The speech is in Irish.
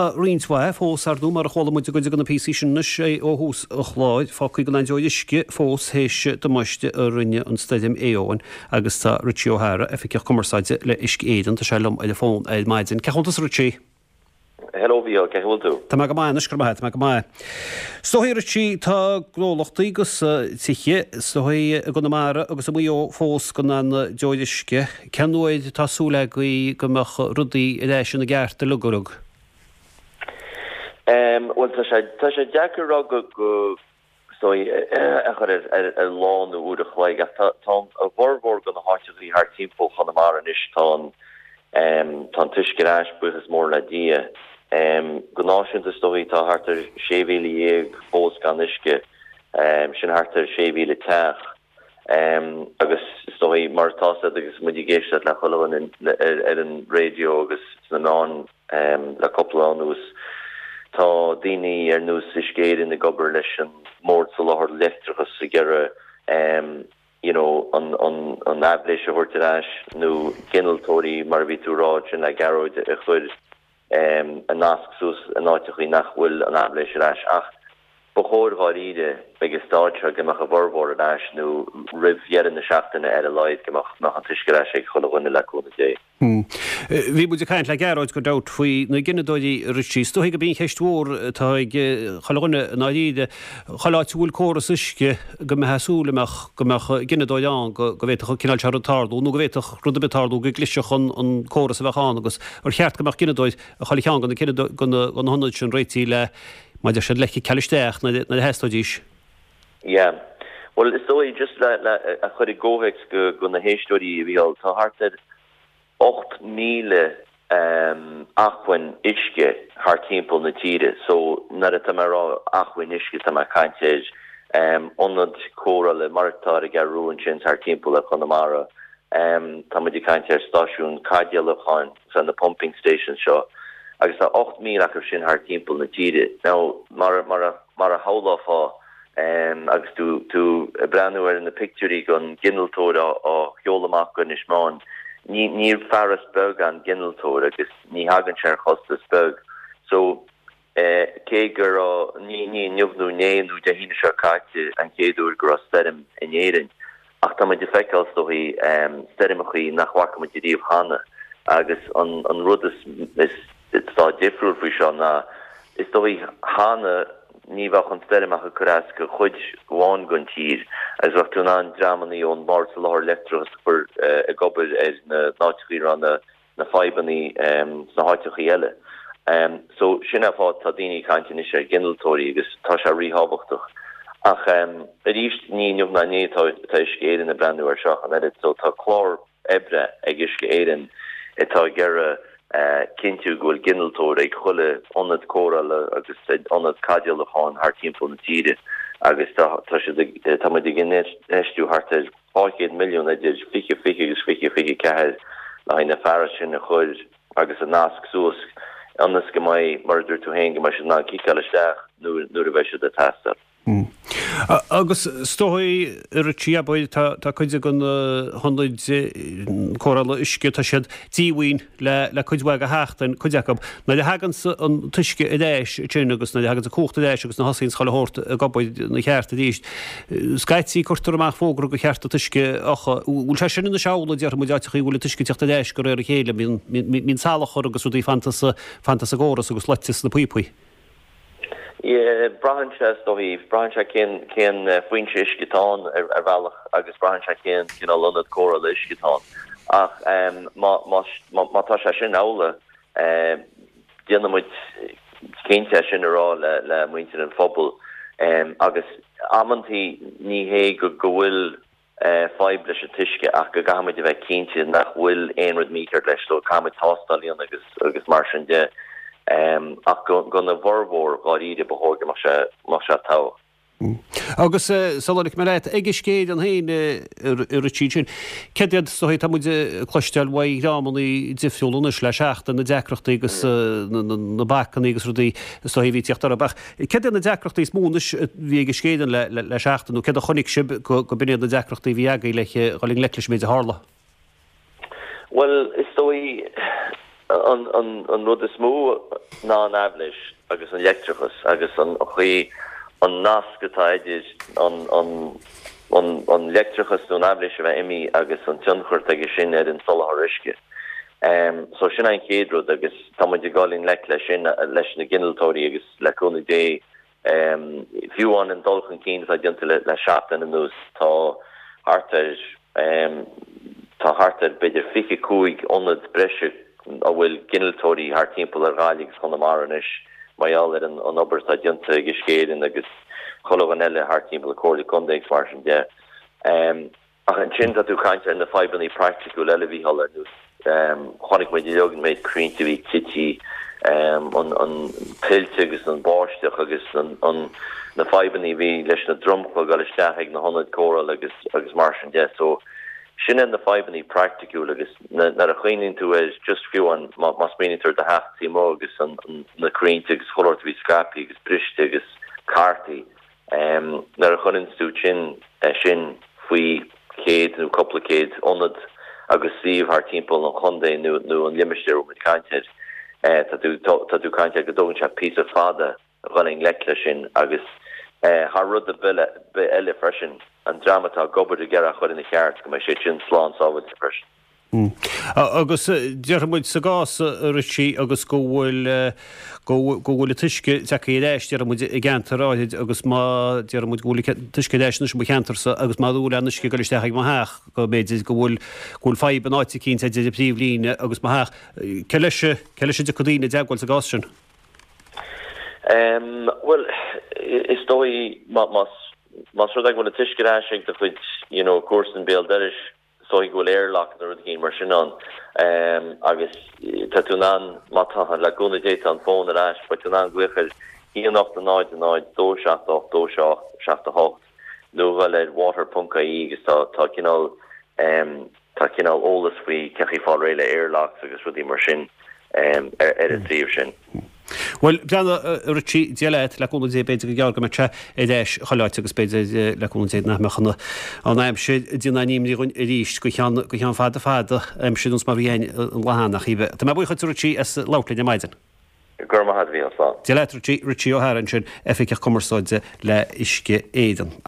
Tá roinnt mhaith fós, ar ndóigh, mar a chuala muid i gcuid de na píosaí sin anois ó thús an chláir, fágtha gan aon deoir uisce fós théis damáiste a rinne an stoirm Éowyn agus tá Richie O'Hara, Oifigeach Cumarsáide le Uisce Éireann, tá sé liom ar an bhfón ar maidin. Cén chaoi a bhfuil tusa Richie? Hello Mhícheál, cén chaoi a bhfuil tú? Tá mé go maith anois, go raibh maith agat, tá mé go maith. Is dóigh Richie, tá gnólachtaí agus tithe, is dóigh, i gConamara agus i Maigh Eo fós gan aon deoir uisce. Cén uair atá súil agaibh go mbeadh rudaí ar ais ina gceart uilig uilig? Bhuel, tá sé, tá sé deacair a rá go, go, is dóigh, a chur ar lá nó uair a chloig ach tá a bhformhór de na háiteachaí thart timpeall Chonamara anois, tá an tá an t-uisce ar ais, buíochas mór le Dia. Go náisiúnta is dóigh tá thart ar 16,000 fós gan uisce, sin thart ar 6,000 teach. Agus is dóigh, mar atá a fhios agat agus muid ag éisteacht le chuile dhuine ar an raidió agus sna meáin le cúpla lá anuas, tá daoine ar nós Uisce Éireann ag obair leis an mBord Soláthair Leictreachais ag iarraidh you know an an aibhléis a thabhairt ar ais nó ginealtóirí mar a bhí tú a rá ansin le Gearóid a chur a nasc suas in áiteachaí nach bhfuil an aibhléis ar ais. Ach ba chóir dháiríre ag an staid seo go mbeadh a bhformhór ar ais nó roimh dheireadh na seachtaine ar a laghad go mbeadh an t-uisce ar ais ag chuile dhuine le cúnamh Dé. Bhí muid ag caint le Gearóid gan dabht faoi na gineadóirí a Richie. Is dóigh gurb í an cheist mhór atá ag chuile dhuine i ndáiríre, chuile áit a bhfuil córas uisce go mbeifeá ag súil go mbeadh go mbeadh gineadóir ann go go bhféadfadh an cineál seo rud tarlú nó go bhféadfadh rud ar bith tarlú go gclisfeadh an an córas a bheadh ann agus ar cheart go mbeadh gineadóir i chuile cheann de na de na hionaid sin réitithe le mar a deir siad le ciceáil isteach nuair a theastóidís. Yeah. Bhuel, is dóigh, just le, le, a chur i gcomhthéacs go, go na héisteoirí, a Mhícheál, tá thart ar 8,000 um, acmhainn uisce thart timpeall na tíre. So, nuair atá mé ag rá acmhainn uisce, tá mé ag caint ar um, ionad cóireála mar atá ar an gCeathrú Rua ansin thart timpeall ar Chonamara. Um, tá muid ag caint ar stáisiún caidéalúcháin, so na pumping stations seo, agus tá 8,000 acu sin thart timpeall na tíre. Now, mar, mar a, mar a shamhlófá, Agus tú tú ag breathnú ar na pictiúirí den ghinealtóir á sheoladh amach go Inis Meáin, ní ní fearas beag an ginealtóir agus ní thagann sé ar chostas beag. So, cé go raibh, ní ní inniu nó inné nó Dé hAoine seo caite an chéad uair go raibh stoirm in Éirinn, Ach tá muid ag feiceáil, is dóigh, stoirmeachaí nach bhfaca muid ariamh cheana agus an rud is atá difriúil faoi seo ná, is dóigh, cheana ní bheadh an stoirm ach ag cur as go chuid amháin den tír agus bheadh tú in ann dreamannaí ón mBord Soláthair Leictreachais a chur ag obair ar na n-áiteachaí a raibh na na fadhbannaí sna háiteachaí eile. So sin an fáth tá daoine ag caint anois ar ghinealtóirí agus tá sé ríthábhachtach. Ach arís ní inniu ná inné atá Uisce Éireann ag breathnú ar seo ach an oiread. So tá clár oibre ag Uisce Éireann atá ag iarraidh cinntiú go bhfuil ginealtóir ag chuile ionad cóireála agus ionad caidéalúcháin thart timpeall na tíre agus tá tá siad ag tá muid ag infheistiú thart ar 200 milliún idir 2020 agus 2024 le haghaidh na fearais sin a chur agus a nasc suas ionas go mbeidh, mar a dúirt tú féin, go mbeidh siad in ann ciceáil isteach nuair a bheidh siad ag teastáil. Agus is dóigh, a Richie, abair, tá cuid de na hionaid cóireála uisce, tá siad díomhaoin le le cuid mhaith de sheachtain, cuid acu. Nuair a thaganns an t-uisce ar ais ansin agus nuair a thaganns an cumhacht ar ais agus nuair a thosaíonns chuile shórt ag obair ina cheart arís, scaití cuirtear amach fógra gur cheart an t-uisce a fhiuchadh. Bhfuil sé sin anois amhlaidh, déarfaidh muid, áiteachaí a bhfuil an t-uisce ag teacht ar ais de réir a chéile, mbíonn, mbíonn salachar agus rudaí fanta sa, fanta sa gcóras agus loite sna píopaí? Yeah, braitheann sé is dóigh, braitheann sé cén, cén foinse uisce atá ann ar, ar bhealach agus braitheann sé cén cineál ionad cóireála uisce atá ann. Ach má, má, má tá sé sin amhlaidh, déanann muid cinnte é sin a rá le, le muintir an phobail. Agus amantaí ní hé go, go bhfuil fadhb leis an t-uisce ach go gcaithfidh muid a bheith cinnte nach bhfuil aon rud mícheart leis so caithfidh muid tástáil a dhéanamh agus agus mar sin de. Ach gona bhformhór dháiríre ba chóir go mbeadh sé mbeadh sé togha. Agus sula ligfidh mé leat, ag Uisce Éireann féin a Richie ansin, céard iad, is dóigh, tá muid ag cloisteáil uaidh dhreamannaí difriúla anois le seachtain, na deacrachtaí agus na bacannaí agus rudaí is dóigh a bhí ag tíocht orthu. Ach Céard iad na deacrachtaí is mó anois a bhí ag Uisce Éireann le seachtain, nó céard a chonaic sibh go b'in iad na deacrachtaí a bhí agaibh le dhul i ngleic leis an méid a tharla? Bhuel, is dóigh, An rud is mó ná an aibhléis agus an leictreachas agus an chaoi, an nasc atá idir an leictreachas nó an aibhléis a bheith imithe agus an tionchar atá aige sin ar an soláthar uisce. So sin é an chéad rud agus tá muid ag dul i ngleic leis sin leis na ginealtóirí agus le cúnamh Dé Fiú amháin an dul chun cinn atá déanta le seachtain anuas, tá thart ar tá thart ar b'fhéidir 25 ionad breise a bhfuil ginealtóirí thart timpeall ar Ghaillimh agus Chonamara anois mar gheall ar an obair atá déanta ag Uisce Éireann agus chuile dhuine eile thart timpeall, Comhairle Contae agus mar sin de. Ach ansin tá tú ag caint ar na fadhbanna praiticiúil eile a Mhícheáil, ar nós, chonaic muid uilig an méid crainnte a bhí tite, an tuilte agus an báisteach agus na fadhbanna a bhí leis na dromchla ag dul isteach ag na hionaid cóireála agus agus mar sin de. So sin iad na fadhbanna praiticiúil agus nuair a chuimhníonn tú ar just fiú an, má smaoiníonn tú ar do theach taobh amuigh agus na crainnte agus chuile shórt a bhí scaipthe agus briste agus cartaí, Nuair a chuireann tú sin sin faoi chéad nó cúpla céad ionad agus suíomh thart timpeall an chontae nó nó an limistéir a bhfuil muid ag caint air, tá tú tá tú ag caint ar go dtógann sé píosa fada a dhul i ngleic leis sin agus thar rud ar bith eile freisin, an dream atá ag obair ag iarraidh a chur ina cheart go mbeidh sé sin slán sábháilte freisin. Agus déarfaidh muid sa gcás, a Richie, agus go bhfuil, go bhfuil an t-uisce tagtha ar ais, déarfaidh muid, i gceantar áirid agus má, déarfaidh muid go bhfuil an t-uisce ar ais anois i mo cheantarsa agus má bhfuil aon uisce ag dul isteach ag mo theach, go mb'fhéidir go bhfuil, go bhfuil fadhb in áit eicínt idir an phríomhlíne agus mo theach. Cé leis, cé leis a dtiocfaidh daoine i dteagmháil sa gcás sin? Bhuel, is dóigh má, más, más rud é go bhfuil an t-uisce ar ais ag do chuid, you know, comharsan béal dorais, Is dóigh go bhfuil airlock nó rud éigin mar sin ann agus tá tú in ann, má tá, le cúnamh Dé tá an fón ar ais, beidh tú in ann glaoch ar 1 8 0 0 2 7 8 2 7 7 8 nó a dhul ar water ponc ie agus tá tá cineál tá cineál eolas faoi cén chaoi fáil réidh le airlocks agus rudaí mar sin ar ar an suíomh sin. Bhuel, breathnaigh, a Richie, Dia leat, le cúnamh Dé, b'fhéidir go gearr go mbeidh sé ar ais chuile áit agus b'fhéidir, le cúnamh Dé, nach mbeadh an aimsir ag déanamh aon imní dhúinn arís go ceann, go ceann fada fada, aimsir nós mar a bhí againn an lá cheana, ach cibé. Tá mé buíoch duit, a Richie, as labhairt linn ar maidin. Go raibh maith agat, a Mhícheál, slán. Dia leat, Richie. Richie O'Hara ansin, Oifigeach Cumarsáide le Uisce Éireann.